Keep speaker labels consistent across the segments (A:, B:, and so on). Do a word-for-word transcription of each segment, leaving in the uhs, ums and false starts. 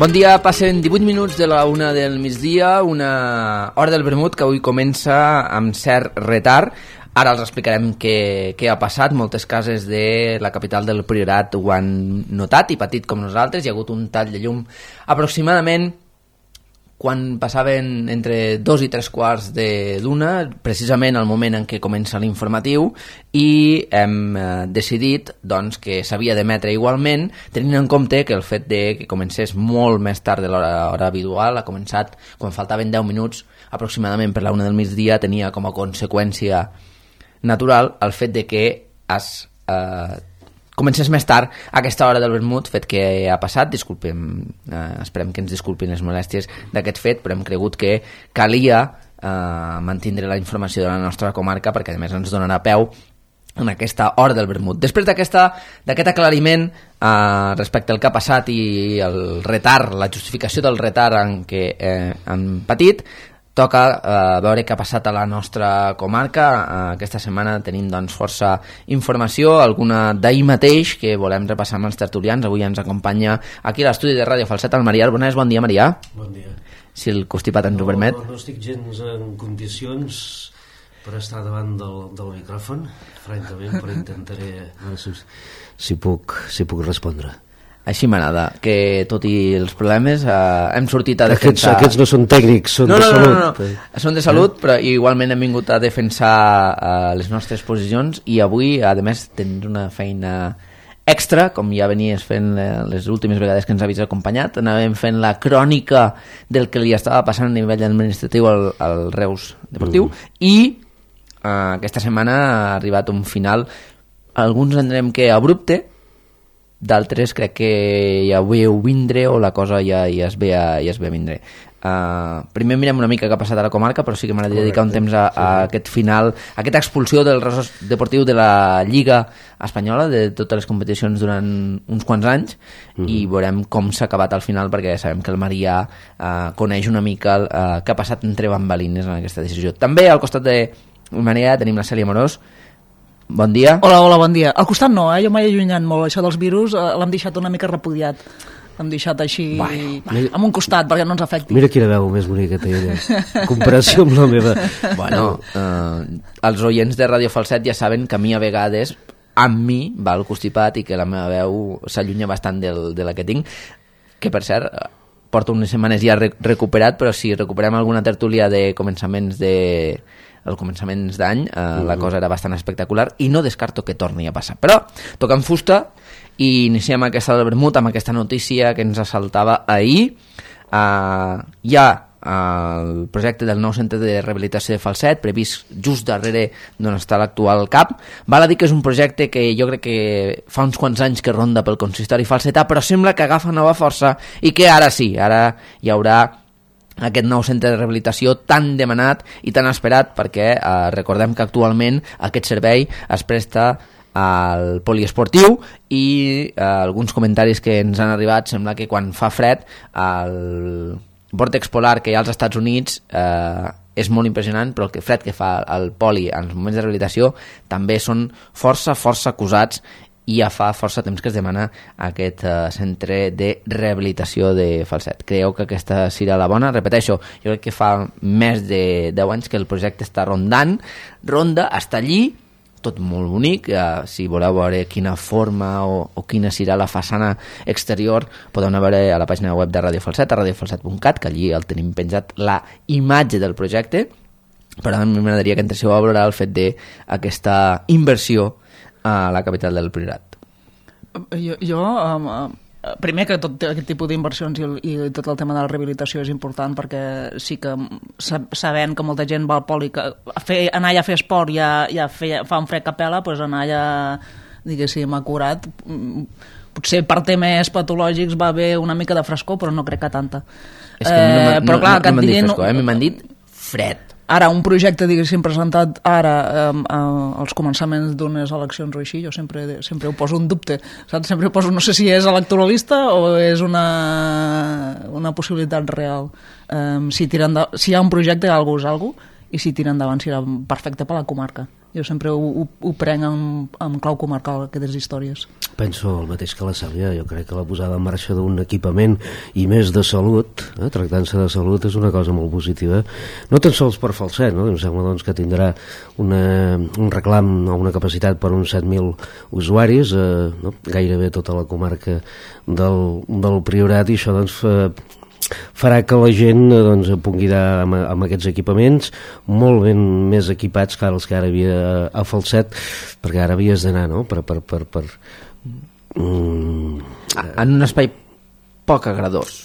A: Bon dia, passen divuit minuts de la una del migdia, una hora del vermut que avui comença amb cert retard. Ara els explicarem què, què ha passat. Moltes cases de la capital del Priorat ho han notat i patit com nosaltres. Hi ha hagut un tall de llum aproximadament quan passaven entre dos i tres quarts de d'una, precisament al moment en què comença l'informatiu, i hem eh, decidit doncs, que s'havia d'emetre igualment, tenint en compte que el fet de que comencés molt més tard de l'hora hora habitual, ha començat quan faltaven deu minuts aproximadament per la una del migdia, tenia com a conseqüència natural el fet de que es eh, comencés més tard a aquesta hora del vermut, fet que ha passat. Disculpem, eh, esperem que ens disculpin les molèsties d'aquest fet, però hem cregut que calia eh, mantindre la informació de la nostra comarca perquè a més ens donarà peu en aquesta hora del vermut. Després d'aquesta d'aquest aclariment eh, respecte al que ha passat i el retard, la justificació del retard en què eh, han patit, toca eh, veure què ha passat a la nostra comarca. Eh, aquesta setmana tenim doncs, força informació, alguna d'ahir mateix que volem repassar amb els tertulians. Avui ens acompanya aquí a l'estudi de Ràdio Falset el Marià Arbonès. Bon dia, Marià.
B: Bon dia.
A: Si el constipat ens
B: no,
A: ho permet.
B: No, no estic gens en condicions per estar davant del, del micròfon, francament, però intentaré si, si, puc, si puc respondre.
A: Així m'agrada, que tot i els problemes eh, hem sortit a defensar...
B: Aquests, aquests no són tècnics, són
A: no,
B: de
A: no,
B: salut.
A: No, no, no. Són de salut, però igualment hem vingut a defensar eh, les nostres posicions i avui, a més, tens una feina extra, com ja venies fent les últimes vegades que ens havies acompanyat. Anàvem fent la crònica del que li estava passant a nivell administratiu al, al Reus Deportiu mm. i eh, aquesta setmana ha arribat un final, alguns entenem que abrupte, d'altres crec que ja ho veu vindre o la cosa ja, ja, es, ve a, ja es ve a vindre. Uh, primer mirem una mica què ha passat a la comarca, però sí que m'agradaria dedicar un temps a, a aquest final, a aquesta expulsió del Reus Deportiu de la Lliga Espanyola, de totes les competicions durant uns quants anys, mm-hmm. i veurem com s'ha acabat al final, perquè sabem que el Marià uh, coneix una mica el, uh, què ha passat entre bambalines en aquesta decisió. També al costat de Marià tenim la Cèlia Morós. Bon dia.
C: Hola, hola, bon dia. Al costat no, eh? Jo m'he allunyat molt. Això dels virus eh, l'hem deixat una mica repudiat. L'hem deixat així, vai, vai. Amb un costat, perquè no ens afecti.
B: Mira quina veu més bonica té ella. En comparació amb la meva.
A: Bueno, eh, els oients de Ràdio Falset ja saben que a mi a vegades, amb mi, va el constipat i que la meva veu s'allunya bastant del, de la que tinc, que per cert, porto unes setmanes ja recuperat, però si recuperem alguna tertúlia de començaments de... els començaments d'any, eh, uh-huh. la cosa era bastant espectacular i no descarto que torni a passar. Però toquem fusta i iniciem aquesta del vermut amb aquesta notícia que ens assaltava ahir. Eh, hi ha eh, el projecte del nou centre de rehabilitació de Falset, previst just darrere d'on està l'actual C A P. Val a dir que és un projecte que jo crec que fa uns quants anys que ronda pel consistori falsetà, però sembla que agafa nova força i que ara sí, ara hi haurà aquest nou centre de rehabilitació tan demanat i tan esperat, perquè eh, recordem que actualment aquest servei es presta al poliesportiu i eh, alguns comentaris que ens han arribat sembla que quan fa fred el vòrtex polar que hi ha als Estats Units eh, és molt impressionant, però el que fred que fa el poli en els moments de rehabilitació també són força, força acusats i ja fa força temps que es demana aquest uh, centre de rehabilitació de Falset. Creieu que aquesta serà la bona? Repeteixo, jo crec que fa més de deu anys que el projecte està rondant, ronda, està allí, tot molt bonic. Uh, si voleu veure quina forma o, o quina serà la façana exterior, podeu anar a veure a la pàgina web de Ràdio Falset, a radiofalset punt cat, que allí el tenim penjat la imatge del projecte, però a mi m'agradaria que entréssiu a valorar el fet d'aquesta inversió a la capital del Priorat.
C: Jo, jo um, primer que tot aquest tipus d'inversions i, i tot el tema de la rehabilitació és important, perquè sí que sabent que molta gent va al poli que a fer, anar allà a fer esport ja, ja feia, fa un fred que pela, doncs anar allà diguéssim acurat, potser per temes patològics va haver una mica de frescor, però no crec que tanta.
A: És que eh, no,
C: però clar,
A: no, no, no m'han dit frescor, eh? m'han dit fred.
C: Ara, un projecte, diguéssim, presentat ara eh, eh, als començaments d'unes eleccions o així, jo sempre, sempre ho poso un dubte, saps? Sempre ho poso, no sé si és electoralista o és una, una possibilitat real. Eh, si, tira endavant, si hi ha un projecte, algú és algú, i si tira endavant serà perfecte per la comarca. Jo sempre ho, ho, ho prenc amb, amb clau comarcal, aquestes històries.
B: Penso el mateix que la Cèlia, jo crec que la posada en marxa d'un equipament i més de salut, eh, tractant-se de salut, és una cosa molt positiva, no tan sols per Falset, no? Em sembla doncs, que tindrà una, un reclam o una capacitat per uns set mil usuaris, eh, no? Gairebé tota la comarca del, del Priorat, i això doncs fa, farà que la gent doncs, pugui anar amb, amb aquests equipaments molt ben més equipats que els que ara havia a Falset, perquè ara havies d'anar, no?, per... per, per, per mm,
A: en un espai poc agradós.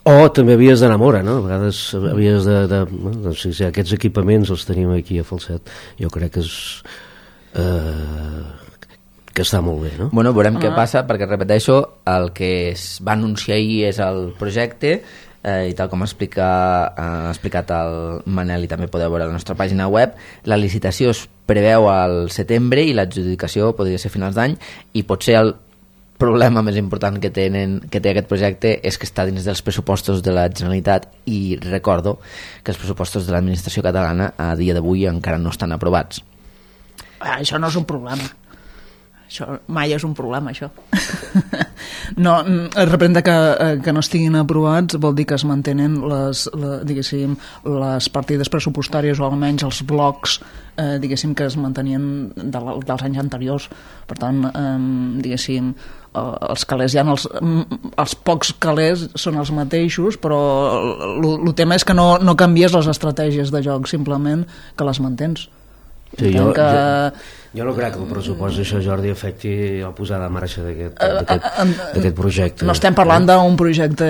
B: O també havies d'anar a Móra, no? A vegades havies de... de doncs, si, si aquests equipaments els tenim aquí a Falset, jo crec que és... Eh, que està molt bé, no?
A: Bueno, veurem ah. què passa, perquè repeteixo, el que es va anunciar ahir és el projecte, eh, i tal com explica, ha explicat el Manel, i també podeu veure a la nostra pàgina web, la licitació es preveu al setembre i l'adjudicació podria ser a finals d'any, i potser el problema més important que, tenen, que té aquest projecte és que està dins dels pressupostos de la Generalitat, i recordo que els pressupostos de l'administració catalana a dia d'avui encara no estan aprovats.
C: Ah, això no és un problema. Això mai és un problema, això. No, representa que, que no estiguin aprovats vol dir que es mantenen les, la, diguéssim, les partides pressupostàries, o almenys els blocs, eh, diguéssim, que es mantenien de, dels anys anteriors. Per tant, eh, diguéssim, els calés ja els, els pocs calés són els mateixos, però el tema és que no, no canvies les estratègies de joc, simplement que les mantens.
B: Sí, jo, que... jo, jo no crec que el pressupost d'això, Jordi, afecti la posada en marxa d'aquest projecte.
C: No estem parlant d'un projecte,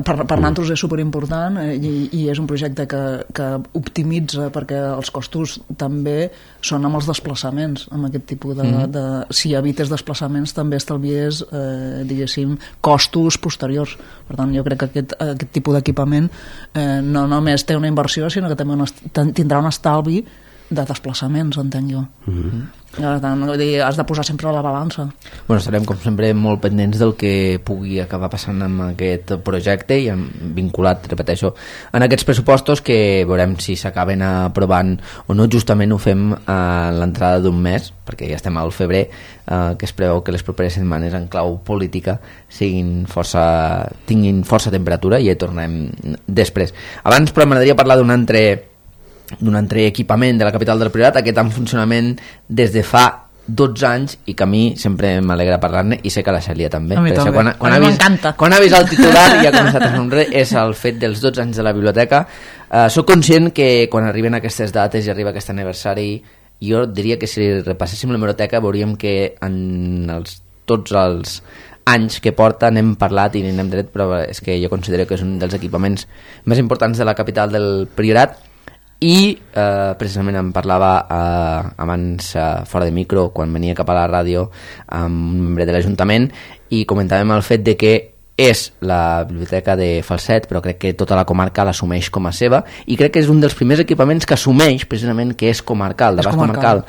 C: per, per nosaltres és superimportant, i, i és un projecte que, que optimitza, perquè els costos també són amb els desplaçaments, amb aquest tipus de... Mm. de si evites desplaçaments també estalvies, eh, diguéssim, costos posteriors. Per tant, jo crec que aquest, aquest tipus d'equipament eh, no només té una inversió, sinó que també un, tindrà un estalvi de desplaçaments, entenc jo. Mm-hmm. Per tant, vull dir, has de posar sempre a la balança.
A: Bueno, estarem com sempre molt pendents del que pugui acabar passant amb aquest projecte, i vinculat, repeteixo, en aquests pressupostos, que veurem si s'acaben aprovant o no. Justament ho fem a l'entrada d'un mes, perquè ja estem al febrer, eh, que es preveu que les properes setmanes en clau política siguin força, tinguin força temperatura, i ja hi tornem després. Abans, però, m'agradaria parlar d'un altre d'un altre equipament de la capital del Priorat, aquest en funcionament des de fa dotze anys, i que a mi sempre m'alegra parlar-ne, i sé que a la Cèlia també.
C: A mi també,
A: quan, quan
C: a mi
A: vist,
C: m'encanta.
A: Quan ha vist el titular i ha començat a somriure, és el fet dels dotze anys de la biblioteca. Uh, soc conscient que quan arriben aquestes dates i arriba aquest aniversari, jo diria que si repasséssim l'hemeroteca veuríem que en els, tots els anys que porta n'hem parlat i n'hem tret, però és que jo considero que és un dels equipaments més importants de la capital del Priorat. I eh, precisament em parlava eh, abans eh, fora de micro, quan venia cap a la ràdio, amb un membre de l'Ajuntament, i comentàvem el fet de que és la biblioteca de Falset, però crec que tota la comarca l'assumeix com a seva, i crec que és un dels primers equipaments que assumeix precisament que és comarcal, d'abast comarcal.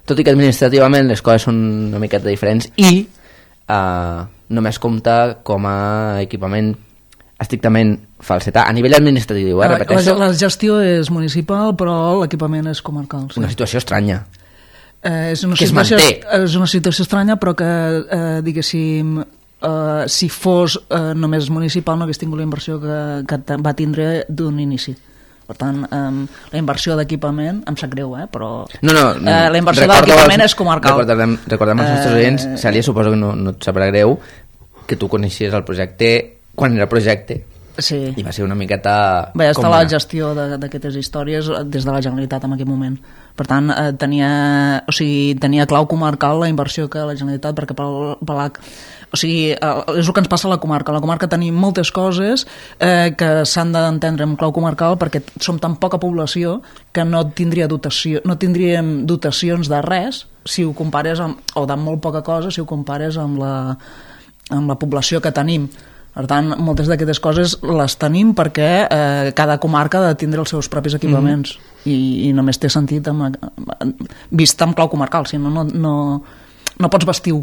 A: Tot i que administrativament les coses són una miqueta diferents, i eh, només compta com a equipament estrictament falsetà, a nivell administratiu, eh, repeteixo.
C: La, la gestió és municipal, però l'equipament és comarcal. Sí.
A: Una situació estranya.
C: Eh, és una
A: que
C: situació,
A: es manté.
C: És una situació estranya, però que, eh, diguéssim, eh, si fos eh, només municipal no hagués tingut la inversió que, que va tindre d'un inici. Per tant, eh, la inversió d'equipament, em sap greu, eh, però
A: no, no,
C: eh, la inversió d'equipament és comarcal.
A: Recordem, recordem als nostres oients, eh, Cèlia, suposo que no, no et sabrà greu que tu coneixies el projecte quan era projecte.
C: Sí.
A: I va ser una miqueta...
C: Va estar la gestió d'aquestes històries des de la Generalitat en aquell moment. Per tant, eh, tenia, o sigui, tenia clau comarcal la inversió que la Generalitat, perquè pel, per la, o sigui, eh, és el que ens passa a la comarca. A la comarca tenim moltes coses eh, que s'han d'entendre amb clau comarcal, perquè som tan poca població que no tindria dotació, no tindríem dotacions de res si ho compares amb, o de molt poca cosa si ho compares amb la, amb la població que tenim. Per tant, moltes d'aquestes coses les tenim perquè eh, cada comarca ha de tindre els seus propis equipaments, mm. i, i només té sentit amb, vist amb clau comarcal, si no, no, no, no pots vestir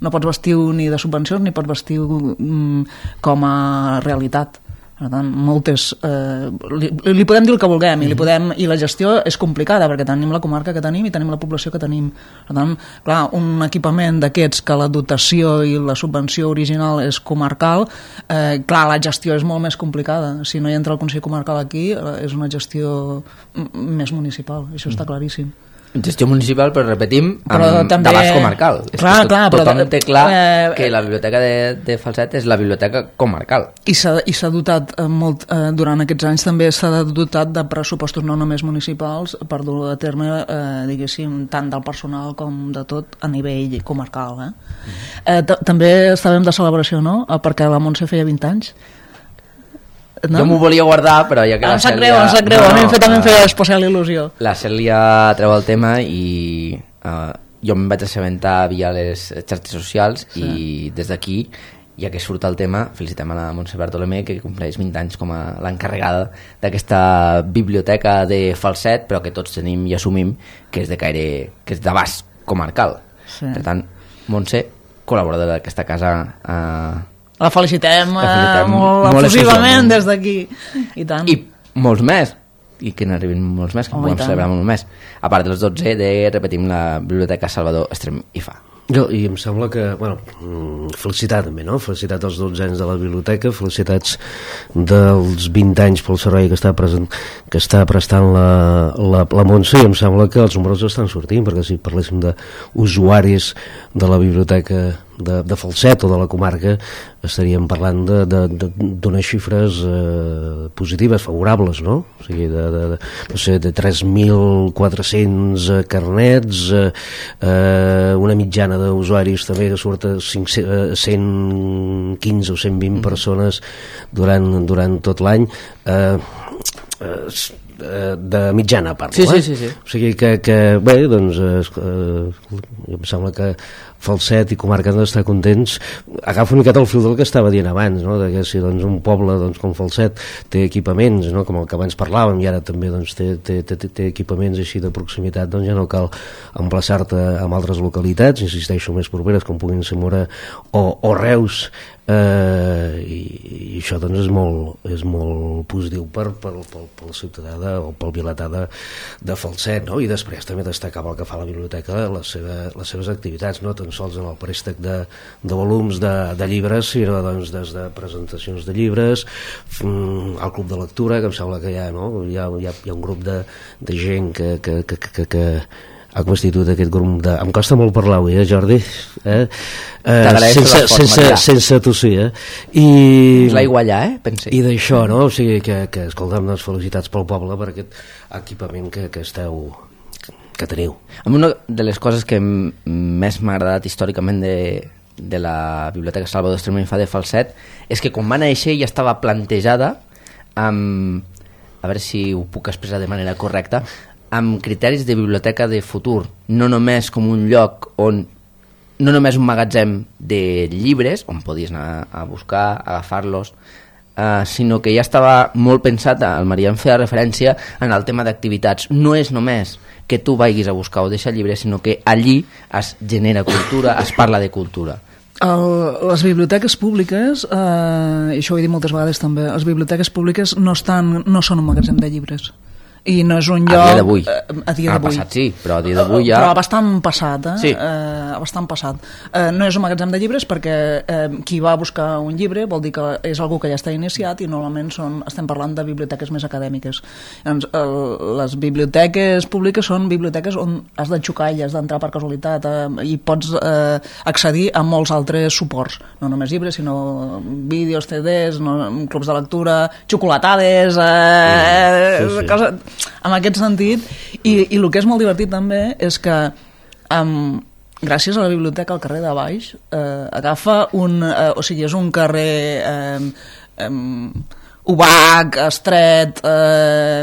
C: no pots vestir ni de subvencions ni pots vestir mm, com a realitat. Per tant, moltes... Eh, li, li podem dir el que vulguem, i, li podem, i la gestió és complicada, perquè tenim la comarca que tenim i tenim la població que tenim. Per tant, clar, un equipament d'aquests que la dotació i la subvenció original és comarcal, eh, clar, la gestió és molt més complicada. Si no hi entra el Consell Comarcal aquí, eh, és una gestió més municipal, això està claríssim.
A: Gestió municipal, però repetim,
C: però
A: amb
C: també...
A: d'abast comarcal.
C: Clar,
A: és que tot,
C: clar,
A: tothom
C: però,
A: té clar
C: eh,
A: que la biblioteca de, de Falset és la biblioteca comarcal.
C: I s'ha dotat eh, molt, eh, durant aquests anys també s'ha dotat de pressupostos no només municipals per dur a terme, eh, diguéssim, tant del personal com de tot a nivell comarcal. Eh? Mm. Eh, també estàvem de celebració, no? Perquè la Montse feia vint anys. No?
A: Jo m'ho volia guardar, però ja que
C: ah,
A: la Cèlia...
C: Greu, em sap greu, no, a mi em fet, també em feia especial il·lusió.
A: La Cèlia treu el tema i uh, jo em vaig assabentar via les xarxes socials, sí. I des d'aquí, ja que surt el tema, felicitem a la Montse Bartolomé, que compleix vint anys com a l'encarregada d'aquesta biblioteca de Falset, però que tots tenim i assumim que és de caire, que és d'abast comarcal. Sí. Per tant, Montse, col·laboradora d'aquesta casa... Uh,
C: La felicitem, la felicitem eh, molt, molt efusivament des d'aquí. I tant.
A: I molts més. I que n'arribin molts més, que oh, podem celebrar molt més. A part dels dotze de, repetim, la Biblioteca Salvador Estrem i Fa.
B: Jo, i em sembla que, bueno, felicitar també, no? Felicitat als dotze anys de la biblioteca, felicitats dels vint anys pel servei que està, present, que està prestant la, la, la Montse, i em sembla que els números estan sortint, perquè si parléssim d'usuaris de la biblioteca de, de Falset o de la comarca, estaríem parlant d'unes xifres eh, positives, favorables, no? O sigui, de, de, de, no sé, de tres mil quatre-cents carnets, eh, eh, una mitjana d'usuaris també que surt a cent quinze o cent vint mm. persones durant, durant tot l'any, eh, eh, de mitjana parlo,
A: sí,
B: eh?
A: sí, sí, sí.
B: O sigui que, que bé, doncs eh, em sembla que Falset i comarca han d'estar contents. Agafo una miqueta el fil del que estava dient abans, no? De que si doncs, un poble doncs, com Falset té equipaments, no? Com el que abans parlàvem, i ara també doncs, té, té, té, té equipaments així de proximitat, doncs ja no cal emplaçar-te amb altres localitats, insisteixo, més properes, com puguin ser Mora o, o Reus, eh, i, i això doncs, és, molt, és molt positiu per, per, per, pel ciutadà de, o pel vilatà de, de Falset, no? I després també destacava el que fa la biblioteca, les, seva, les seves activitats, no? Tan sols en el préstec de, de volums de, de llibres, sinó doncs, des de presentacions de llibres, al club de lectura, que em sembla que hi ha, no? hi, ha, hi, ha, hi ha un grup de, de gent que, que, que, que, que ha constituït aquest grup de... Em costa molt parlar avui, eh, Jordi? Eh? Eh, sense, sense, sense tossir, eh? I...
A: L'aigua allà, eh? Pensi.
B: I d'això, no? O sigui, que, que escolta'm, doncs, felicitats pel poble per aquest equipament que, que esteu... que teniu.
A: Una de les coses que més m'ha agradat històricament de, de la Biblioteca Salvador Estrem i Fa de Falset és que quan va néixer ja estava plantejada amb, a veure si ho puc expressar de manera correcta, amb criteris de biblioteca de futur, no només com un lloc on no només un magatzem de llibres on podies anar a buscar, agafar-los, Uh, sinó que ja estava molt pensat, el Maria em feia referència en el tema d'activitats. No és només que tu vagis a buscar o deixar llibres, sinó que allí es genera cultura, es parla de cultura.
C: El, les biblioteques públiques, eh, i això ho he dit moltes vegades també, les biblioteques públiques no, estan, no són un magatzem de llibres. I no és un lloc...
A: A dia d'avui.
C: Eh, a dia d'avui.
A: passat sí, però a dia d'avui ja...
C: Però bastant passat, eh?
A: Sí.
C: eh bastant passat. Eh, no és un magatzem de llibres perquè eh, qui va a buscar un llibre vol dir que és algú que ja està iniciat i normalment són, estem parlant de biblioteques més acadèmiques. Llavors, el, les biblioteques públiques són biblioteques on has de xocar i has d'entrar per casualitat eh, i pots eh, accedir a molts altres suports. No només llibres, sinó vídeos, C Ds, no, clubs de lectura, xocolatades, eh, sí, sí, sí. coses... en aquest sentit, i, i el que és molt divertit també és que um, gràcies a la biblioteca al carrer de baix eh, agafa un, eh, o sigui, és un carrer eh, eh, obac, estret, eh,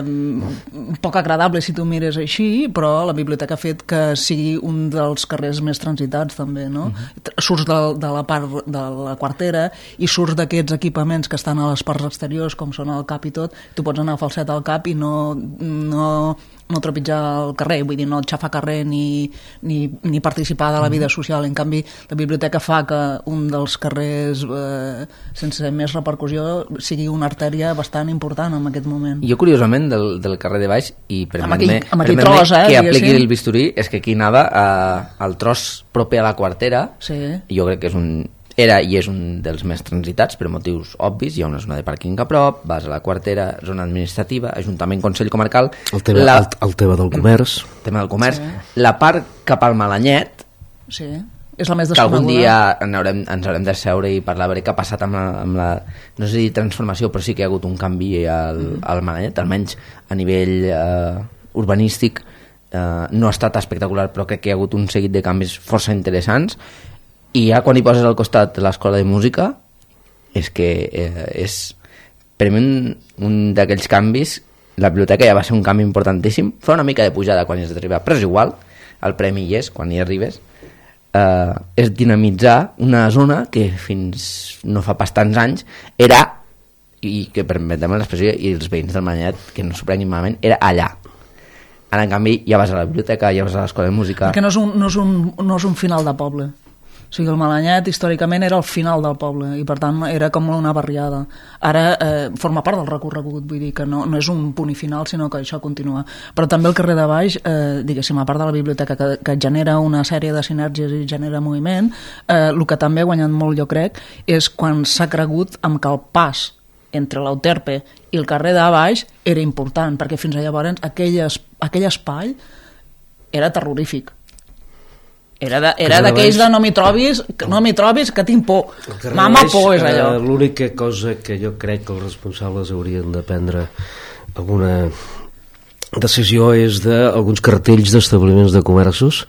C: poc agradable si tu mires així, però la biblioteca ha fet que sigui un dels carrers més transitats també, no? Uh-huh. Surts de, de la part de la quartera i surts d'aquests equipaments que estan a les parts exteriors com són el cap i tot, tu pots anar a Falset al cap i no, no no trepitjar el carrer, vull dir, no xafar carrer ni, ni, ni participar de la vida social. En canvi, la biblioteca fa que un dels carrers eh, sense més repercussió sigui una artèria bastant important en aquest moment.
A: Jo, curiosament, del, del carrer de baix, i permet-me
C: tros, eh,
A: que apliqui el bisturí, és que aquí anava eh, al tros proper a la Quartera,
C: sí.
A: Jo crec que és un... era i és un dels més transitats per motius obvis, hi ha una zona de pàrquing a prop, vas a la Quartera, zona administrativa, Ajuntament, Consell Comarcal...
B: El tema, la... el, el tema del comerç.
A: El tema del comerç. Sí. La part cap al Malanyet,
C: sí. És la més
A: que algun dia en haurem, ens haurem de seure i parlar a veure què ha passat amb la, amb la... No sé si transformació, però sí que hi ha hagut un canvi al, mm. al Malanyet, almenys a nivell eh, urbanístic. Eh, no ha estat espectacular, però crec que hi ha hagut un seguit de canvis força interessants. I ja quan hi poses al costat l'escola de música és que eh, és per mi un, un d'aquells canvis. La biblioteca ja va ser un canvi importantíssim, fa una mica de pujada quan hi has d'arribar, però és igual, el premi hi és quan hi arribes. Eh, és dinamitzar una zona que fins no fa pas tants anys era, i que permetem l'expressió, i els veïns del Manyanet que no s'ho prenguin malament, era allà. Ara en canvi ja vas a la biblioteca, ja vas a l'escola de música,
C: perquè no és un, no és un, no és un final de poble. O sigui, el Malanyet històricament era el final del poble i per tant era com una barriada. Ara eh, forma part del recorregut, vull dir que no, no és un punt i final, sinó que això continua. Però també el carrer de baix, eh, diguéssim, a part de la biblioteca que, que genera una sèrie de sinergies i genera moviment, eh, el que també ha guanyat molt, jo crec, és quan s'ha cregut amb que el pas entre l'Euterpe i el carrer de baix era important, perquè fins a llavors aquell, es, aquell espai era terrorífic. Era d'aquells de, de no m'hi trobis, no m'hi trobis que tinc por. Mama por és allò.
B: L'única cosa que jo crec que els responsables haurien de prendre alguna decisió és d'alguns cartells d'establiments de comerços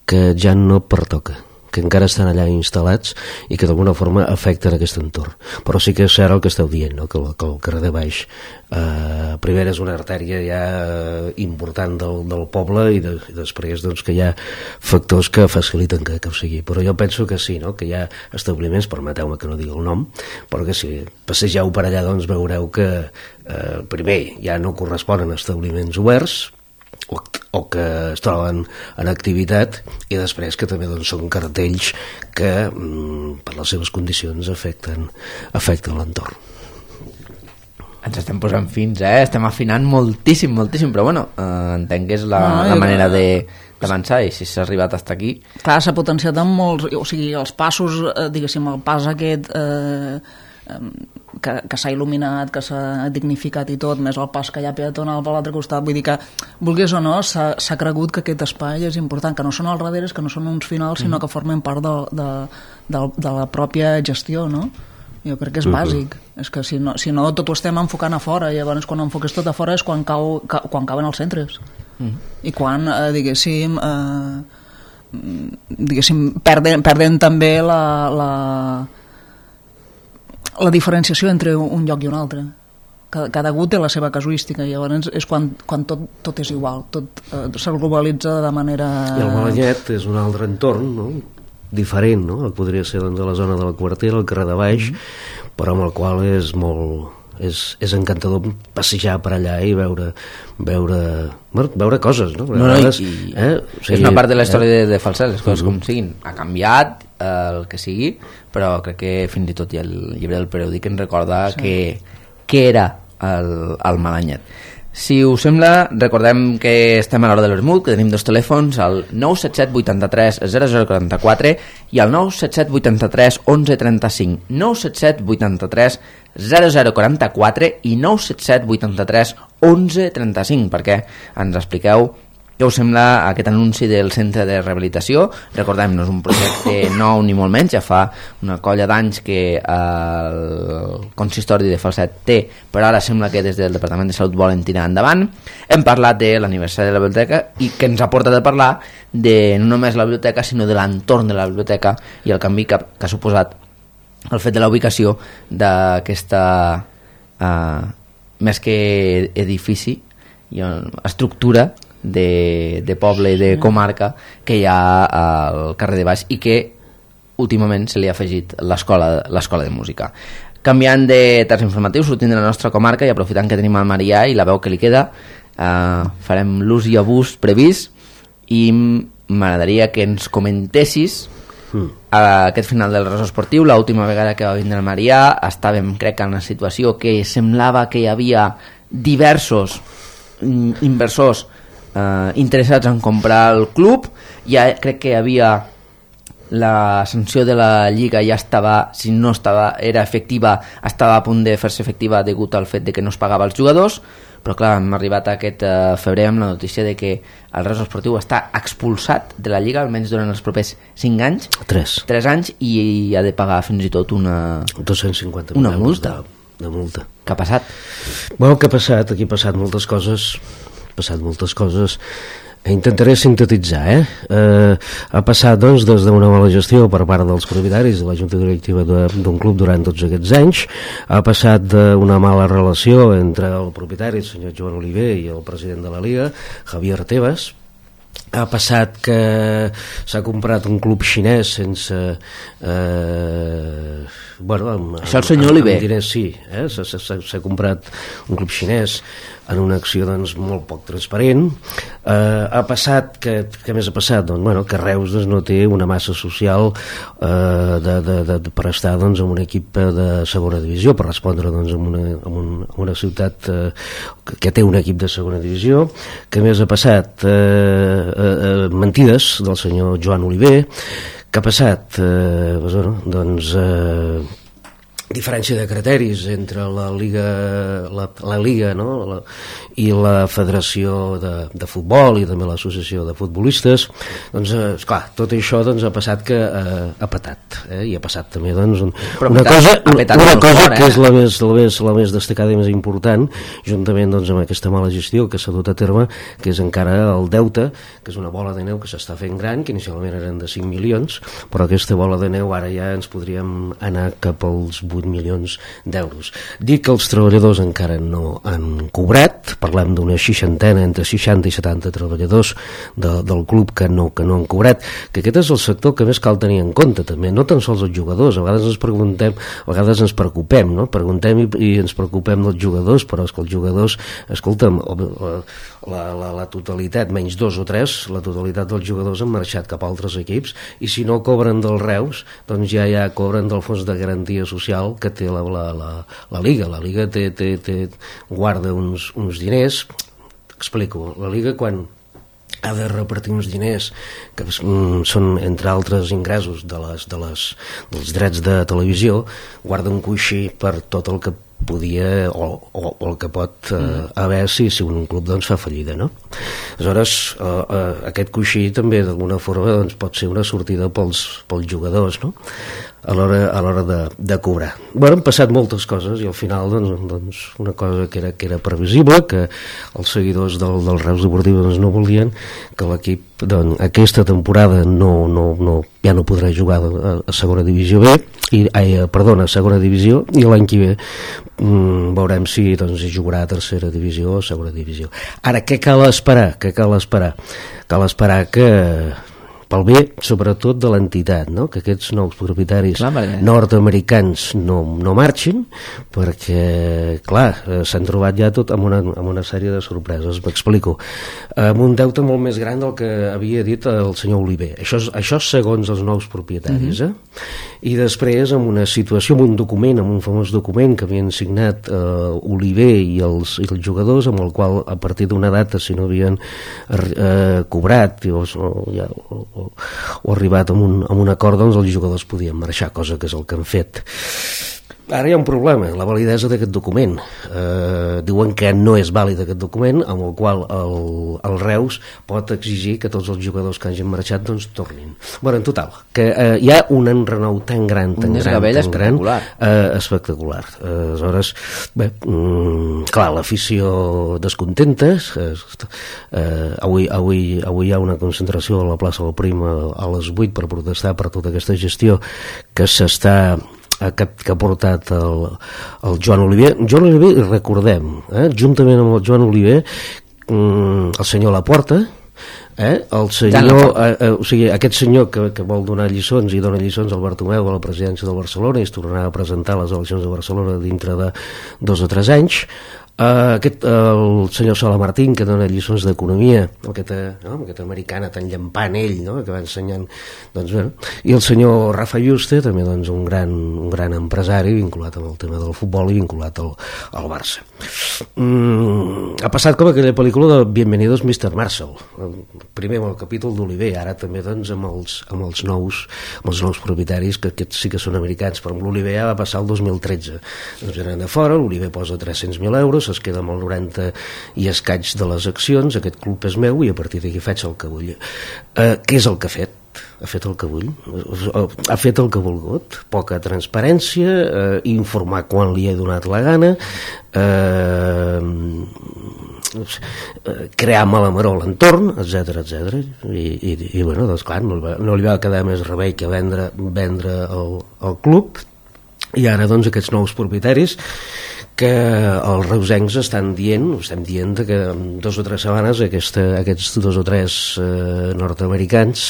B: que ja no pertoca, que encara estan allà instal·lats i que d'alguna forma afecten aquest entorn. Però sí que és cert el que esteu dient, no? que, el, que el carrer de baix eh, primer és una artèria ja important del, del poble i, de, i després doncs, que hi ha factors que faciliten que, que ho sigui. Però jo penso que sí, no? que hi ha establiments, permeteu-me que no digui el nom, però que si passegeu per allà doncs veureu que eh, primer ja no corresponen a establiments oberts, O, o que es troben en activitat, i després que també doncs, són cartells que mm, per les seves condicions afecten, afecten l'entorn.
A: Ens estem posant fins, eh? Estem afinant moltíssim, moltíssim, però bueno, eh, entenc que és la, no, la manera de d'avançar, i si s'ha arribat fins aquí...
C: Clar, s'ha potenciat amb molts... O sigui, els passos, eh, diguéssim, el pas aquest... Eh, que, que s'ha il·luminat, que s'ha dignificat i tot, més el pas que hi ha peatonal per l'altre costat, vull dir que, vulguis o no, s'ha cregut que aquest espai és important, que no són els darreres, que no són uns finals, sinó que formen part de, de, de, de la pròpia gestió, no? Jo crec que és bàsic. Uh-huh. És que si no, si no tot ho estem enfocant a fora, i llavors quan enfoques tot a fora és quan, cau, ca, quan cauen els centres. Uh-huh. I quan, eh, diguéssim, eh, diguéssim, perden, perden també la... la la diferenciació entre un lloc i un altre. Cada, cada gut té la seva casuística, i llavors és quan, quan tot, tot és igual, tot eh, se globalitza de manera...
B: I el Malanyet és un altre entorn, no? Diferent, no? El podria ser doncs, a la zona de la Quartera, el carrer de baix, mm-hmm. però amb el qual és molt... És, és encantador passejar per allà i veure veure, bueno, veure coses, no?
A: no, no i, eh? o sigui, és una part de la història eh? de, de Falset, les coses uh-huh. com siguin. Ha canviat eh, el que sigui, però crec que fins i tot hi ha el llibre del periòdic que ens recorda sí. que, que era el, el Malanyet. Si us sembla, recordem que estem a l'hora de l'Esmut, que tenim dos telèfons, el nou set set vuitanta-tres zero zero quaranta-quatre i el nou set set vuitanta-tres onze trenta-cinc. nou set set vuitanta-tres zero zero quaranta-quatre i nou set set vuitanta-tres onze trenta-cinc, perquè ens expliqueu què us sembla aquest anunci del centre de rehabilitació. Recordem, no és un projecte nou ni molt menys, ja fa una colla d'anys que el consistori de Falset té, però ara sembla que des del Departament de Salut volen tirar endavant. Hem parlat de l'aniversari de la biblioteca i que ens ha portat a parlar de no només la biblioteca, sinó de l'entorn de la biblioteca i el canvi que, que ha suposat el fet de la ubicació d'aquesta eh, més que edifici i estructura de, de poble i de comarca que hi ha al carrer de baix i que últimament se li ha afegit l'escola l'escola de música. Canviant de terç informatiu, sortint de la nostra comarca i aprofitant que tenim el Marià i la veu que li queda, uh, farem l'ús i abús previst i m'agradaria que ens comentessis mm. a aquest final del ressò esportiu. L'última vegada que va vindre el Marià estàvem, crec, en una situació que semblava que hi havia diversos inversors eh, interessats en comprar el club. Ja crec que hi havia la sanció de la Lliga, ja estava, si no estava, era efectiva, estava a punt de fer-se efectiva degut al fet de que no es pagava als jugadors, però clar, hem arribat a aquest eh, febrer amb la notícia de que el Ressò Esportiu està expulsat de la Lliga almenys durant els propers cinc anys,
B: tres
A: anys, i ha de pagar fins i tot una
B: dos-cents cinquanta
A: una multa.
B: De, de multa.
A: Què ha passat?
B: Bueno, què ha passat? Aquí ha passat moltes coses, ha passat moltes coses. Intentaré sintetitzar, eh? eh ha passat, doncs, des d'una mala gestió per part dels propietaris de la junta directiva d'un club durant tots aquests anys, ha passat d'una mala relació entre el propietari, el senyor Joan Oliver, i el president de la Liga, Javier Tebas. Ha passat que s'ha comprat un club xinès sense... Eh, bueno, amb,
A: Això el senyor
B: amb,
A: Oliver.
B: Amb diners, sí, eh? s'ha comprat un club xinès en una acció, doncs, molt poc transparent. Eh, ha passat, que, què més ha passat? Doncs, bueno, que Reus, doncs, no té una massa social eh, de, de, de, per estar, doncs, en un equip de segona divisió, per respondre, doncs, en una, en un, en una ciutat eh, que, que té un equip de segona divisió. Què més ha passat? Eh, eh, eh, mentides del senyor Joan Oliver. Què ha passat? Eh, doncs, bueno, doncs eh, diferència de criteris entre la Liga, la, la Liga no? la, i la Federació de, de Futbol i també l'Associació de Futbolistes. Doncs, eh, esclar, tot això, doncs, ha passat que eh, ha petat, eh? I ha passat també, doncs, un, una petat, cosa, una, una cosa fort, eh? que és la més, la, més, la més destacada i més important, juntament, doncs, amb aquesta mala gestió que s'ha dut a terme, que és encara el deute, que és una bola de neu que s'està fent gran, que inicialment eren de cinc milions, però aquesta bola de neu ara ja ens podríem anar cap als vuit milions d'euros. Dic que els treballadors encara no han cobrat, parlem d'una seixantena, entre seixanta i setanta treballadors de, del club que no, que no han cobrat, que aquest és el sector que més cal tenir en compte també, no tan sols els jugadors, a vegades ens preguntem, a vegades ens preocupem, no? Preguntem i, i ens preocupem dels jugadors, però és que els jugadors, escolta'm, la, la, la totalitat, menys dos o tres, la totalitat dels jugadors han marxat cap a altres equips, i si no cobren del Reus, doncs ja ja cobren del fons de garantia social que té la, la, la, la Liga. La Liga té, té, té, guarda uns, uns diners. Explico, la Liga quan ha de repartir uns diners que mm, són, entre altres ingressos de les, de les, dels drets de televisió, guarda un coixí per tot el que podia o, o, o el que pot eh, mm. haver si, si un club, doncs, fa fallida, no? Aleshores, eh, eh, aquest coixí també d'alguna forma, doncs, pot ser una sortida pels, pels jugadors, no? a l'hora a l'hora de, de cobrar. Bueno, han passat moltes coses i al final, doncs, doncs una cosa que era, que era previsible, que els seguidors del, del Reus Deportiu, doncs, no volien que l'equip, doncs, aquesta temporada no, no, no, ja no podrà jugar a, a segona divisió B i, ai, perdona, a segona divisió, i l'any que ve mm, veurem si, doncs, jugarà a tercera divisió o a segona divisió. Ara, què cal esperar? Què cal esperar? Cal esperar que pel bé, sobretot, de l'entitat, no? Que aquests nous propietaris clar, nord-americans no, no marxin, perquè, clar, s'han trobat ja tot amb una, amb una sèrie de sorpreses. M'explico. Amb un deute molt més gran del que havia dit el senyor Oliver. Això, això segons els nous propietaris, eh? I després, amb una situació, amb un document, amb un famós document que havien signat eh, Oliver i els, i els jugadors, amb el qual, a partir d'una data, si no havien eh, cobrat o, o, ja, o, o, o arribat a un, a un acord, doncs els jugadors podien marxar, cosa que és el que han fet. Ara hi ha un problema, la validesa d'aquest document. Eh, diuen que no és vàlid aquest document, amb el qual el, el Reus pot exigir que tots els jugadors que hagin marxat, doncs, tornin. Bueno, en total, que eh, hi ha un enrenou tan gran, tan
A: un
B: gran, tan
A: espectacular.
B: gran, eh, espectacular. Eh, aleshores, bé, mm, clar, l'afició descontenta. Eh, eh, avui, avui, avui hi ha una concentració a la plaça del Prim a, a les vuit per protestar per tota aquesta gestió que s'està Que, que ha portat el, el Joan Oliver. Joan Oliver, recordem, eh, juntament amb el Joan Oliver, el senyor Laporta, eh? el senyor, eh, eh, o sigui, aquest senyor que, que vol donar lliçons i dona lliçons al Bartomeu a la presidència del Barcelona i es tornarà a presentar a les eleccions de Barcelona dintre de dos o tres anys. Uh, aquest, uh, el senyor Sola Martín, que dona lliçons d'economia, aquesta, no? aquesta americana tan llampant ell, no? que va ensenyant, doncs, bueno. I el senyor Rafa Yuste, també doncs, un, gran, un gran empresari vinculat amb el tema del futbol i vinculat al, al Barça. Mm, ha passat com aquella pel·lícula de Bienvenidos mister Marshall, primer amb el capítol d'Oliver, ara també doncs, amb, els, amb, els nous, amb els nous propietaris, que aquests sí que són americans, però amb l'Oliver ja va passar el dos mil tretze. Doncs venen de fora, l'Oliver posa tres-cents mil euros, es queda amb el noranta i escaig de les accions, aquest club és meu i a partir d'aquí faig el que vull. Eh, què és el que ha fet? Ha fet el que vull, ha fet el que ha volgut, poca transparència, eh, informar quan li he donat la gana, eh, crear malamaró a l'entorn, etcètera, etcètera. I, i, i bueno, doncs clar, no, no li va quedar més remei que vendre, vendre el, el club, i ara doncs aquests nous propietaris que els reusencs estan dient, estem dient que en dos o tres setmanes aquesta, aquests dos o tres eh, nord-americans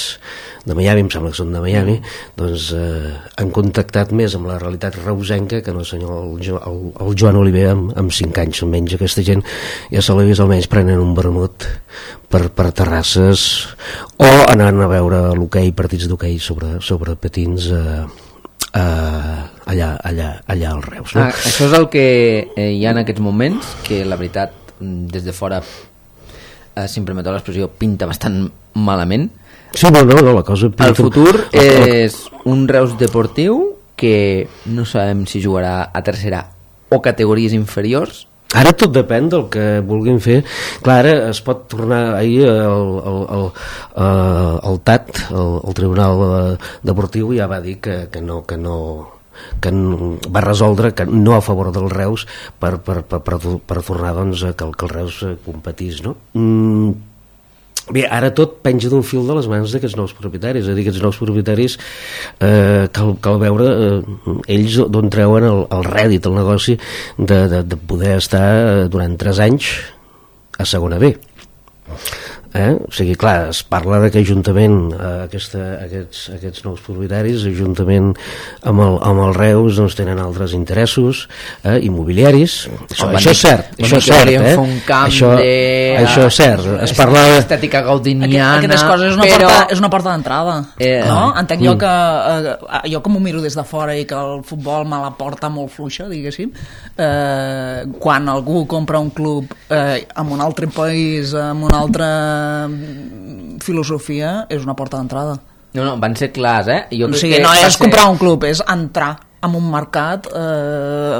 B: de Miami, em sembla que són de Miami, doncs eh, han contactat més amb la realitat reusenca que no el senyor el, el, el Joan Oliver amb, amb cinc anys menys. Aquesta gent ja se l'ha vist almenys prenent un vermut per, per terrasses o anant a veure l'hoquei, partits d'hoquei sobre, sobre patins eh, Uh, allà, allà, allà als Reus, no?
A: Ah, això és el que eh, hi ha en aquests moments, que la veritat des de fora eh, si em permeteu l'expressió pinta bastant malament.
B: Sí, no, no, no, la cosa pinta...
A: El futur és un Reus deportiu que no sabem si jugarà a tercera o categories inferiors.
B: Ara tot depèn del que vulguin fer. Clar, ara es pot tornar ahir el, el, el, el T A T, el, el Tribunal Deportiu, ja va dir que, que no... Que no que va resoldre que no a favor del Reus per, per, per, per, per tornar doncs, que, el, que el Reus competís, no? Mm, bé, ara tot penja d'un fil de les mans d'aquests nous propietaris, és a dir, aquests nous propietaris eh, cal, cal veure eh, ells d'on treuen el, el rèdit, el negoci de, de, de poder estar durant tres anys a segona B. Eh? O sigui, clar, es parla de que juntament eh, aquesta, aquests, aquests nous propietaris, juntament amb el, amb el Reus, doncs tenen altres interessos eh, immobiliaris. Això,
A: oh,
B: això és cert, això és cert, eh?
A: Un camp
B: això,
A: de...
B: això és cert. Es parla de...
A: estètica gaudiniana...
C: Aquestes coses és una
A: però...
C: porta, és una porta d'entrada. Eh, no? Entenc
B: mm.
C: jo que eh, jo com ho miro des de fora i que el futbol me la porta molt fluixa, diguéssim, eh, quan algú compra un club eh, en un altre país, en un altre filosofia, és una porta d'entrada.
A: No, no, van ser clars, eh? Jo
C: o sigui, no és ser... comprar un club, és entrar en un mercat eh,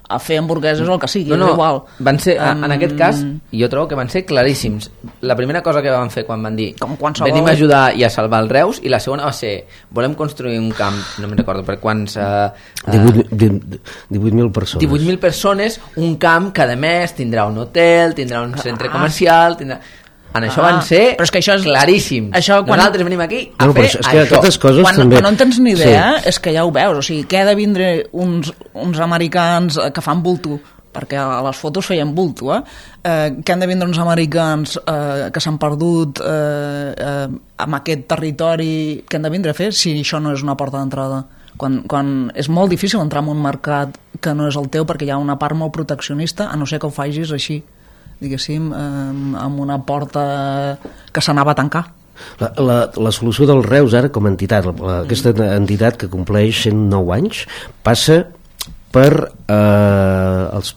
C: a fer hamburgueses o el que sigui,
A: no, no,
C: és igual.
A: Van ser, um... en aquest cas,
C: Mm.
A: jo trobo que van ser claríssims. La primera cosa que van fer quan van dir
C: qualsevol...
A: venim a ajudar i a salvar el Reus, i la segona va ser volem construir un camp, no me'n recordo per quants... Uh,
B: divuit mil persones.
A: divuit mil persones, un camp que a més tindrà un hotel, tindrà un centre comercial, tindrà... En això ah, van ser
C: però és que això és,
A: claríssims.
C: Això quan...
A: Nosaltres venim aquí a
B: no,
A: fer
B: és que
A: això.
B: Coses
C: quan,
B: també...
C: quan no en tens ni idea,
B: sí.
C: És que ja ho veus. O sigui, que ha de vindre uns, uns americans que fan bulto, perquè a les fotos feien bulto, eh? Eh, que han de vindre uns americans eh, que s'han perdut eh, eh, amb aquest territori, que han de vindre a fer si això no és una porta d'entrada. Quan, quan és molt difícil entrar en un mercat que no és el teu perquè hi ha una part molt proteccionista, a no ser que ho facis així, diguéssim, eh, amb una porta que s'anava a tancar.
B: La, la, la solució del Reus ara com a entitat, la, aquesta entitat que compleix cent nou anys, passa per eh, els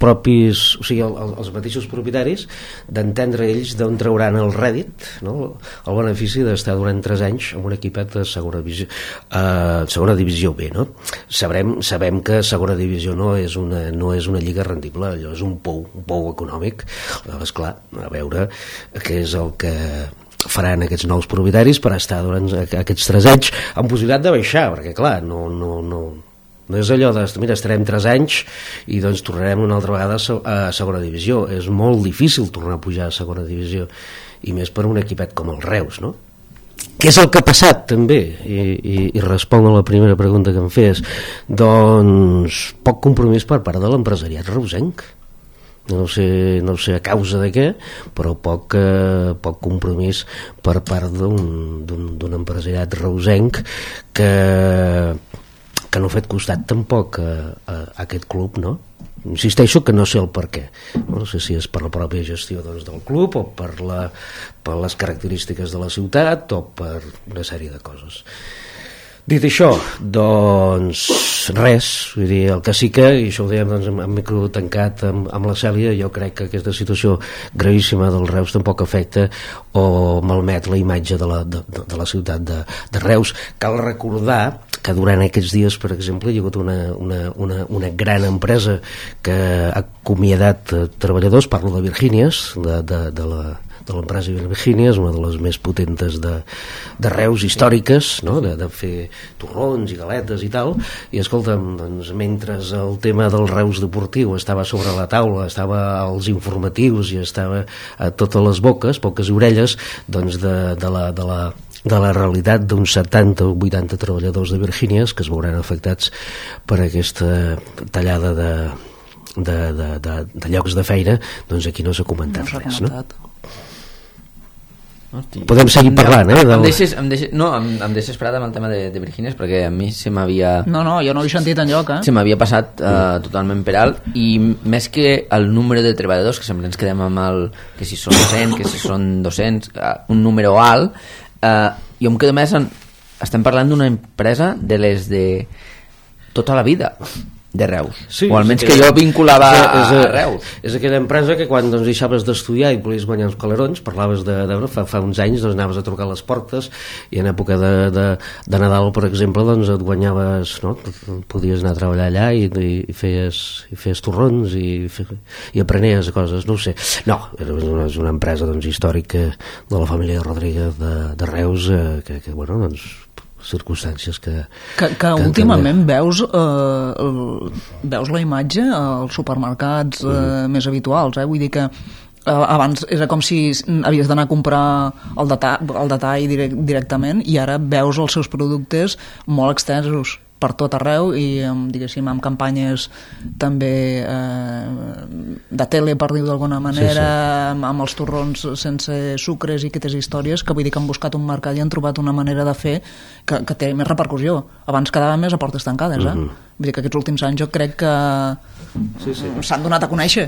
B: propis, o sigui, el, els mateixos propietaris d'entendre ells d'on trauran el rèdit, no? El benefici d'estar durant tres anys en un equipet de segona divisió, eh, segona divisió B, no? Sabrem, sabem que segona divisió no és una, no és una lliga rendible, allò és un pou, un pou econòmic. Esclar, a veure què és el que faran aquests nous propietaris per estar durant aquests tres anys amb possibilitat de baixar, perquè clar, no, no, no no és allò de, mira, estarem tres anys i doncs tornarem una altra vegada a segona divisió. És molt difícil tornar a pujar a segona divisió, i més per un equipet com el Reus, no? Què és el que ha passat també? I, i, i responc a la primera pregunta que em fes. Doncs poc compromís per part de l'empresariat reusenc. no sé, no sé a causa de què, però poc, eh, poc compromís per part d'un, d'un, d'un empresariat reusenc que, que no ha fet costat tampoc a, a, a aquest club, no? Insisteixo que no sé el per què, no sé si és per la pròpia gestió, doncs, del club o per, la, per les característiques de la ciutat o per una sèrie de coses. Dit això, doncs res, vull dir, el que sí que, i això ho dèiem doncs, amb, amb micro tancat amb, amb la Cèlia, jo crec que aquesta situació gravíssima del Reus tampoc afecta o malmet la imatge de la, de, de la ciutat de, de Reus. Cal recordar que durant aquests dies, per exemple, hi ha hagut una, una, una, una gran empresa que ha acomiadat treballadors, parlo de Virgínies, de, de, de la de l'empresa Virgínies, una de les més potentes de, de Reus, històriques, no? de, de fer torrons i galetes i tal, i escolta'm, doncs, mentre el tema del Reus deportiu estava sobre la taula, estava als informatius i estava a totes les boques, poques orelles, doncs de, de la, de la de la realitat d'uns setanta o vuitanta treballadors de Virgínies que es veuran afectats per aquesta tallada de, de, de, de, de llocs de feina, doncs aquí no s'ha comentat no res, no? Hosti. Podem seguir parlant, eh? Del...
A: Em deixes, em deixes, no, em, em deixes parat amb el tema de, de Virgínies perquè a mi se m'havia...
C: No, no, jo no ho he sentit enlloc, eh?
A: Se m'havia passat uh, totalment per alt i més que el número de treballadors, que sempre ens quedem amb el... que si són cent, que si són dos-cents, uh, un número alt, uh, jo em quedo més en... Estem parlant d'una empresa de les de tota la vida de Reus,
B: sí,
A: o almenys
B: aquella,
A: que jo vinculava
B: és, és,
A: a Reus.
B: És aquella empresa que quan doncs, deixaves d'estudiar i volies guanyar els calerons, parlaves de, de fa, fa uns anys, doncs, anaves a trucar a les portes i en època de, de, de Nadal, per exemple, doncs, et guanyaves, no? Podies anar a treballar allà i, i, i, feies, i feies torrons i, i aprenies coses, no ho sé. No, és una, és una empresa doncs, històrica de la família Rodríguez de, de Reus, eh, que, que bueno, doncs circumstàncies que...
C: Que, que, que últimament també... veus, eh, el, veus la imatge als supermercats eh, mm. més habituals, eh? Vull dir que eh, abans era com si havies d'anar a comprar el detall, el detall direct, directament i ara veus els seus productes molt extensos per tot arreu i diguéssim amb campanyes també eh, de tele per dir-ho d'alguna manera, sí, sí. Amb, amb els torrons sense sucres i aquestes històries que vull dir que han buscat un mercat i han trobat una manera de fer que, que té més repercussió. Abans quedava més a portes tancades, eh? Uh-huh. Vull dir que aquests últims anys jo crec que sí, sí. s'han donat a conèixer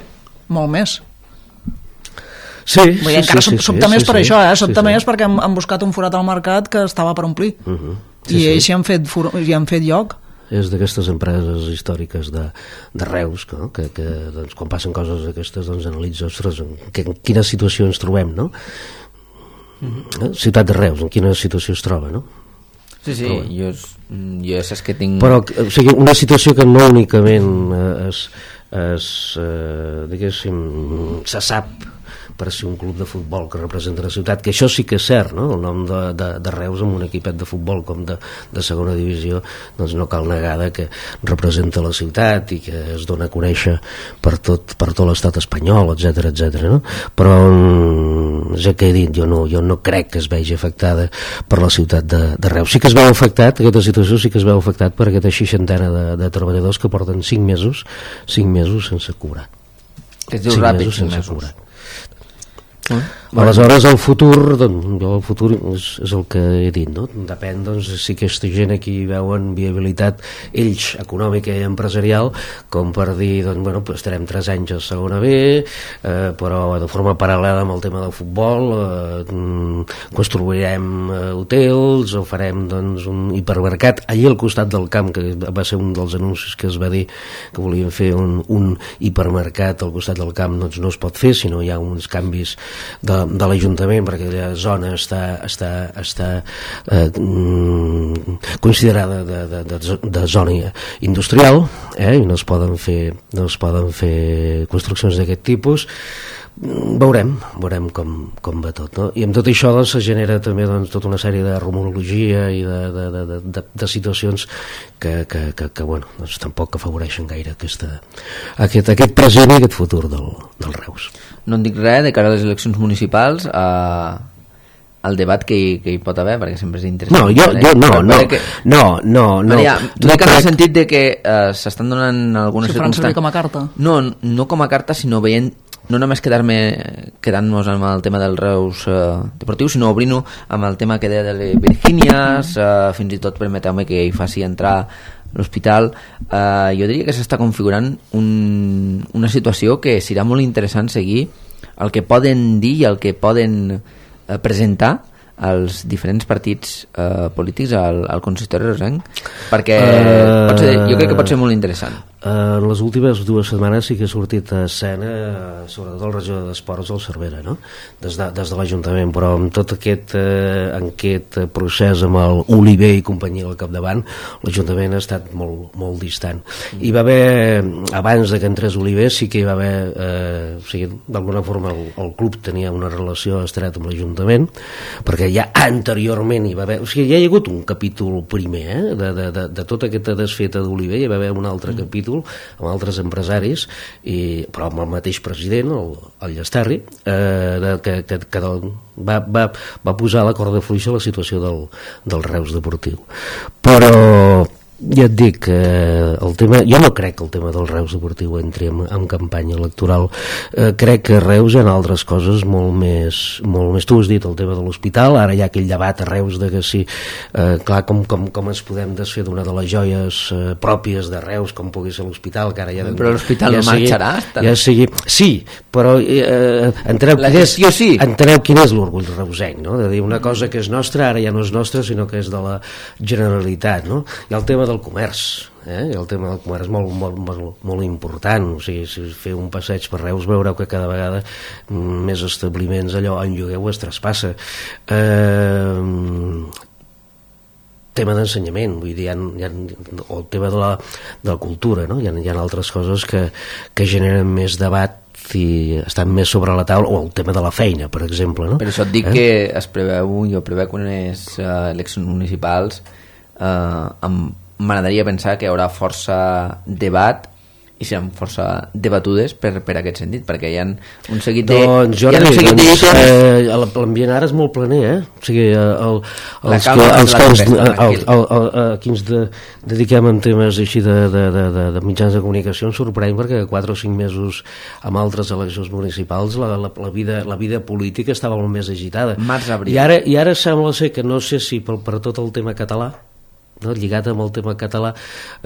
C: molt més.
B: Sí,
C: vull dir,
B: sí,
C: encara
B: sí,
C: sobta sí, més
B: sí,
C: per
B: sí,
C: això, eh? Sobta
B: sí,
C: més
B: sí.
C: perquè han, han buscat un forat al mercat que estava per omplir. Uh-huh. Sí, i ells sí. hi han fet, hi han fet lloc.
B: És d'aquestes empreses històriques de, de Reus que, que, que doncs, quan passen coses d'aquestes doncs, analitza, ostres, en, que, en quina situació ens trobem, no? Mm-hmm. Ciutat de Reus, en quina situació es troba, no?
A: Sí, sí, però, jo, jo saps que tinc...
B: Però, o sigui, una situació que no únicament es, es eh, diguéssim, se sap per ser un club de futbol que representa la ciutat, que això sí que és cert, no? El nom de, de, de Reus amb un equipet de futbol com de, de segona divisió, doncs no cal negar que representa la ciutat i que es dona a conèixer per tot, per tot l'estat espanyol, etcètera, etcètera, no? Però ja que he dit, jo no, jo no crec que es vegi afectada per la ciutat de, de Reus. Sí que es veu afectat, aquesta situació sí que es veu afectat per aquesta seixantena de, de treballadors que porten cinc mesos, cinc mesos sense cobrar.
A: Que es diu ràpid, cinc mesos.
B: Cobrar. Mm. Aleshores el futur doncs, jo el futur és, és el que he dit, no? Depèn doncs, si aquesta gent aquí veuen viabilitat ells econòmica i empresarial com per dir, doncs, bueno, pues estarem tres anys a segona B, eh, però de forma paral·lela amb el tema del futbol, eh, construirem eh, hotels o farem doncs, un hipermercat allí al costat del camp, que va ser un dels anuncis que es va dir que volien fer un, un hipermercat al costat del camp, doncs no es pot fer si no hi ha uns canvis de de l'Ajuntament, perquè aquella zona està, està, està eh, considerada de, de, de, de zona industrial, eh, i no es poden fer, no es poden fer construccions d'aquest tipus. Veurem, veurem com, com va tot, no? I amb tot això doncs, se genera també doncs, tota una sèrie de rumorologia i de, de, de, de, de situacions que, que, que, que bueno, doncs, tampoc afavoreixen gaire aquesta, aquest, aquest present i aquest futur del, del Reus.
A: No en dic res de cara a les eleccions municipals. Uh, al debat que hi, que hi pot haver, perquè sempre és interessant.
B: No, jo, jo no, no,
A: que,
B: no, no, no.
A: Maria, tu
B: no
A: dic en el
B: crec...
A: sentit de que uh, s'estan donant algunes
C: si
A: circumstàncies...
C: com a carta?
A: No, no com a carta, sinó veient, no només quedar-me quedant-nos amb el tema del Reus uh, deportiu, sinó obrint-ho amb el tema que deia de les Virgínies, uh, fins i tot permeteu-me que hi faci entrar l'hospital. Uh, jo diria que s'està configurant un, una situació que serà molt interessant seguir el que poden dir i el que poden eh, presentar als diferents partits eh, polítics al, al consistori reusenc, perquè uh, pot ser, jo crec que pot ser molt interessant.
B: Uh, en les últimes dues setmanes sí que ha sortit a escena, uh, sobretot el regidor d'Esports del Cervera, no? des de, des de l'Ajuntament, però amb tot aquest, uh, aquest procés amb el Oliver i companyia al capdavant, l'Ajuntament ha estat molt, molt distant. Mm. Hi va haver, abans de que entrés Oliver, sí que hi va haver, uh, o sigui, d'alguna forma el, el club tenia una relació estreta amb l'Ajuntament, perquè ja anteriorment hi va haver, o sigui, ja hi ha hagut un capítol primer, eh? de, de, de, de tota aquesta desfeta d'Oliver, hi va haver un altre mm. capítol amb altres empresaris, i, però amb el mateix president, el, el Llesterri, eh, de, que, que, que del, va, va, va posar a la corda fluixa la situació del, del Reus deportiu. Però ja et dic, eh, el tema, jo no crec que el tema del Reus deportiu entri en, en campanya electoral. Eh, crec que a Reus hi ha altres coses molt més, molt més, tu has dit el tema de l'hospital, ara hi ha aquell debat a Reus de que sí, eh, clar, com, com, com ens podem desfer d'una de les joies eh, pròpies de Reus, com pugui ser l'hospital, que ara ja...
A: Però l'hospital
B: ja
A: no
B: sigui,
A: marxarà?
B: Ja sigui, sí, però eh, enteneu,
A: la
B: quin és,
A: gestió sí.
B: enteneu quin és l'orgull reusenc, no? De dir una cosa que és nostra, ara ja no és nostra, sinó que és de la Generalitat, no? I el tema del comerç, eh? el tema del comerç és molt, molt, molt, molt important. O sigui, si feu un passeig per Reus veureu que cada vegada més establiments allò en llogueu es traspassa. Eh, tema d'ensenyament, vull dir, hi ha, hi ha, o el tema de la, de la cultura, no? Hi ha, hi ha altres coses que, que generen més debat i estan més sobre la taula, o el tema de la feina, per exemple, no?
A: Per això et dic eh? que es preveu, jo preveu que unes uh, eleccions municipals uh, amb m'agradaria pensar que hi haurà força debat i seran força debatudes per, per aquest sentit, perquè hi ha un seguit de...
B: Doncs, Jordi, doncs, eh, l'ambient ara és molt planer, eh? O sigui, el, els que, els que ens, el, el, el, aquí ens de, dediquem en temes així de, de, de, de, de mitjans de comunicació ens sorprèn perquè quatre o cinc mesos amb altres eleccions municipals la, la, la, vida, la vida política estava molt més agitada.
A: Març, abril.
B: I ara, i ara sembla ser que no sé si per, per tot el tema català, no, lligat amb el tema català,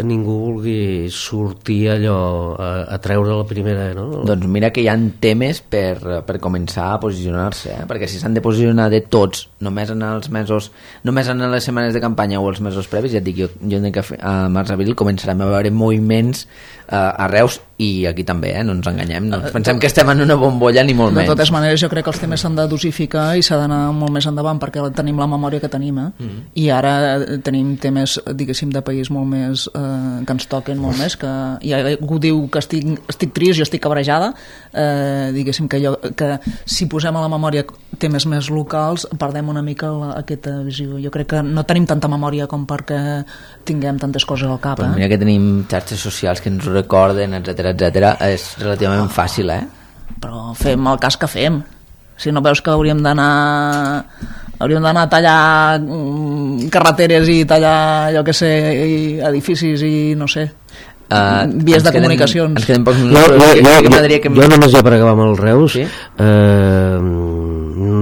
B: ningú vulgui sortir allò a, a treure la primera, no?
A: Doncs mira que hi ha temes per, per començar a posicionar-se, eh? Perquè si s'han de posicionar de tots només en els mesos, només en les setmanes de campanya o els mesos previs, ja et dic, jo, jo entenc que a març-abril començarem a veure moviments eh, a Reus i aquí també, eh? No ens enganyem, no ens pensem que estem en una bombolla ni molt
C: de
A: menys.
C: De totes maneres jo crec que els temes s'han de dosificar i s'ha d'anar molt més endavant perquè tenim la memòria que tenim, eh? Mm-hmm. I ara tenim temes, diguéssim, de país molt més eh, que ens toquen molt més, que i algú diu que estic, estic trist, jo estic cabrejada, eh, diguéssim que, jo, que si posem a la memòria temes més locals perdem una mica la, aquesta visió. Jo crec que no tenim tanta memòria com perquè tinguem tantes coses al cap.
A: Però
C: eh?
A: mira que tenim xarxes socials que ens ho recorden, etcètera etcètera, és relativament fàcil, eh?
C: Però fem el cas que fem. Si no veus que hauríem d'anar hauríem d'anar a tallar carreteres i tallar, jo que sé, edificis i no sé, uh, vies de queden, comunicacions.
A: Ens queden pocs
B: minuts. Jo, jo, jo, jo, que... jo només ja per acabar amb el Reus, sí? eh,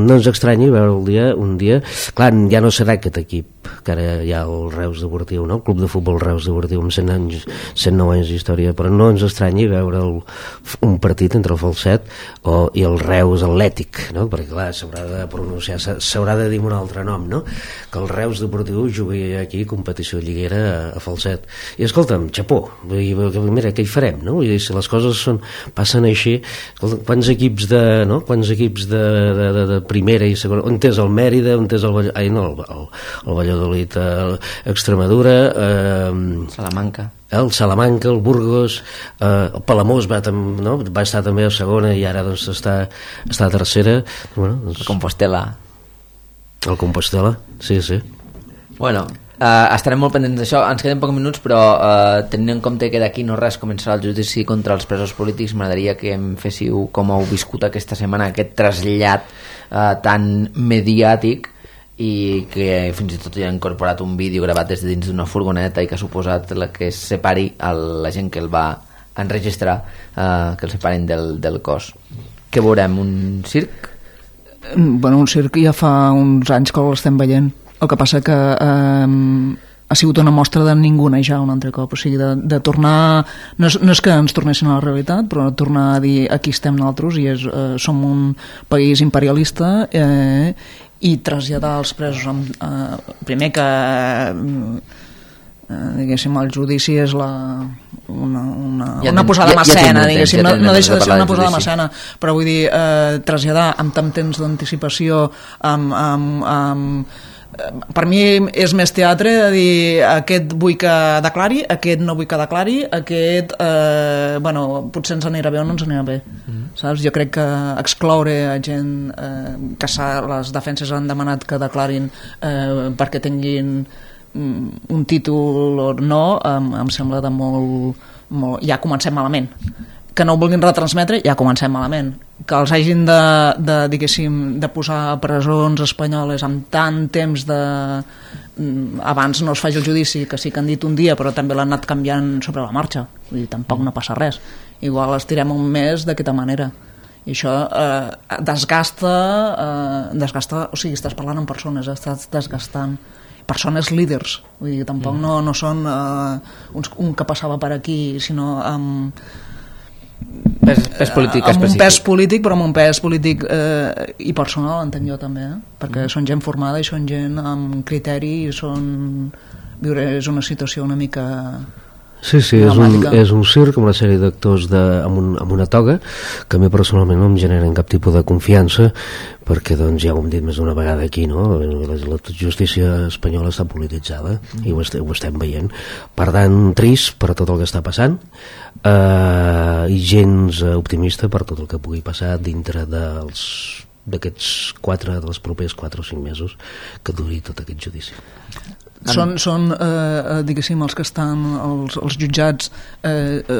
B: no ens estranyi veure el dia, un dia, clar, ja no serà aquest equip que ara hi ha el Reus Deportiu, no? El Club de Futbol Reus Deportiu amb cent anys, cent nou anys d'història, però no ens estranyi veure el, un partit entre el Falset o, i el Reus Atlètic, no? Perquè clar, s'haurà de pronunciar, s'haurà de dir un altre nom, no? Que el Reus Deportiu jugui aquí competició lliguera a, a Falset. I escolta'm, xapó, mira, què hi farem, no? Vull dir, si les coses són, passen així, escolta, quants equips de, no? Quants equips de, de, de, de primera i segona, on és el Mèrida, on és el, ai, no, el, el, el Valladolid, Extremadura, eh,
A: Salamanca,
B: el Salamanca, el Burgos, eh, el Palamós va, tam, no? va estar també a segona i ara doncs, està, està a tercera. Bueno, doncs,
A: el Compostela.
B: El Compostela, sí, sí.
A: Bueno, Uh, estarem molt pendents d'això. Ens queden pocs minuts, però uh, tenint en compte que d'aquí no res començarà el judici contra els presos polítics, m'agradaria que em féssiu com heu viscut aquesta setmana aquest trasllat uh, tan mediàtic i que fins i tot hi ha incorporat un vídeo gravat des de dins d'una furgoneta i que ha suposat la que separi el, la gent que el va enregistrar, uh, que el separin del, del cos. Què veurem? Un circ?
C: Bueno, un circ ja fa uns anys que l'estem veient. El que passa que eh, ha sigut una mostra de ningunejar un altre cop, o sigui, de, de tornar, no és, no és que ens tornessin a la realitat, però tornar a dir aquí estem nosaltres i és, eh, som un país imperialista eh, i traslladar els presos amb, eh, primer que eh, diguéssim el judici és la una, una, ja una posada ja, en escena, ja diguéssim, ja no, no deixa de ser una posada en escena, però vull dir eh, traslladar amb tant temps d'anticipació amb, amb, amb per mi és més teatre de dir aquest vull que declari, aquest no vull que declari, aquest eh, bueno, potser ens anirà bé o no ens anirà bé, mm. saps? Jo crec que excloure a gent eh, que les defenses han demanat que declarin eh, perquè tinguin un títol o no, em, em sembla de molt, molt... ja comencem malament. Que no ho vulguin retransmetre, ja comencem malament. Que els hagin de, de, diguéssim, de posar a presons espanyoles amb tant temps de... abans no es faci el judici, que sí que han dit un dia, però també l'han anat canviant sobre la marxa. Vull dir, tampoc no passa res. Igual estirem un mes d'aquesta manera. I això eh, desgasta, eh, desgasta... O sigui, estàs parlant amb persones, estàs desgastant persones líders. Vull dir, tampoc no, no són eh, uns, un que passava per aquí, sinó amb...
A: Pes, pes polític
C: amb
A: específic.
C: Un pes polític, però amb un pes polític eh, i personal, entenc jo també, eh? Perquè mm. són gent formada i són gent amb criteri i són... viure és una situació una mica...
B: Sí, sí, és un, és un circ amb una sèrie d'actors amb, un, amb una toga que a mi personalment no em generen cap tipus de confiança perquè doncs ja ho hem dit més d'una vegada aquí, no? La, la justícia espanyola està polititzada mm. i ho estem, ho estem veient, per tant trist per tot el que està passant eh, i gens optimista per tot el que pugui passar dintre dels d'aquests quatre, dels propers quatre o cinc mesos que duri tot aquest judici.
C: Són, són eh, diguéssim, els que estan els, els jutjats eh, eh,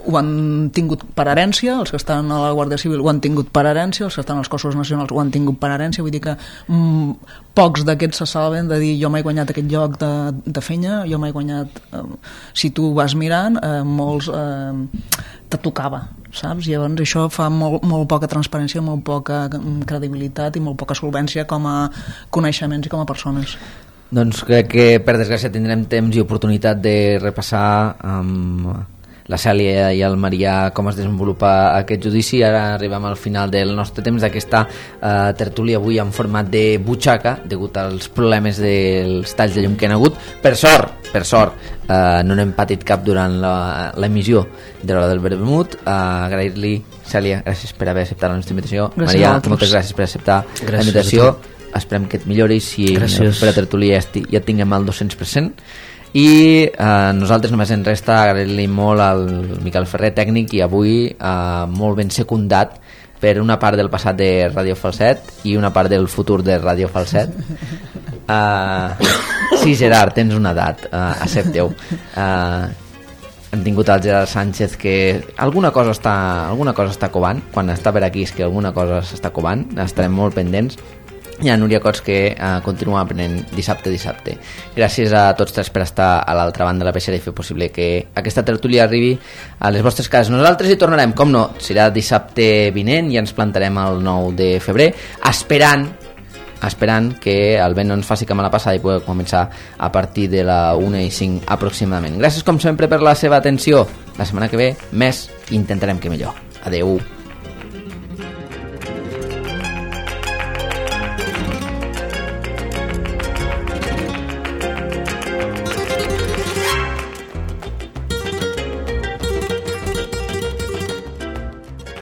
C: ho han tingut per herència, els que estan a la Guàrdia Civil ho han tingut per herència, els que estan als cossos nacionals ho han tingut per herència, vull dir que mm, pocs d'aquests se salven de dir jo m'he guanyat aquest lloc de, de fenya, jo m'he guanyat eh, si tu vas mirant eh, molts eh, te tocava, saps? I llavors això fa molt, molt poca transparència, molt poca credibilitat i molt poca solvència com a coneixements i com a persones.
A: Doncs crec que per desgràcia tindrem temps i oportunitat de repassar amb la Cèlia i el Marià com es desenvolupa aquest judici. Ara arribem al final del nostre temps d'aquesta eh, tertúlia avui en format de butxaca degut als problemes dels talls de llum que han hagut. Per sort, per sort eh, no n'hem patit cap durant l'emissió de l'Hora del Vermut. Eh, agrair-li, Cèlia, gràcies per haver acceptat la nostra invitació.
C: Gràcies.
A: Marià, moltes gràcies per acceptar gràcies la invitació. Esperem que et milloris i per a tertúlia ja, ja tinguem el dos-cents per cent i eh, nosaltres només ens resta agrair-li molt al Miquel Ferrer, tècnic, i avui eh, molt ben secundat per una part del passat de Ràdio Falset i una part del futur de Ràdio Falset. eh, sí, Gerard, tens una edat, eh, accepteu. eh, hem tingut el Gerard Sánchez, que alguna cosa està alguna cosa està covant. Quan està per aquí és que alguna cosa s'està covant, estarem molt pendents. Hi ha Núria Cots, que uh, continua aprenent dissabte dissabte. Gràcies a tots tres per estar a l'altra banda de la peixera i fer possible que aquesta tertúlia arribi a les vostres cases. Nosaltres hi tornarem, com no, serà dissabte vinent i ens plantarem el nou de febrer, esperant esperant que el vent no ens faci com a la passada i pugui començar a partir de la una i cinc aproximadament. Gràcies com sempre per la seva atenció. La setmana que ve més, intentarem que millor. Adeu.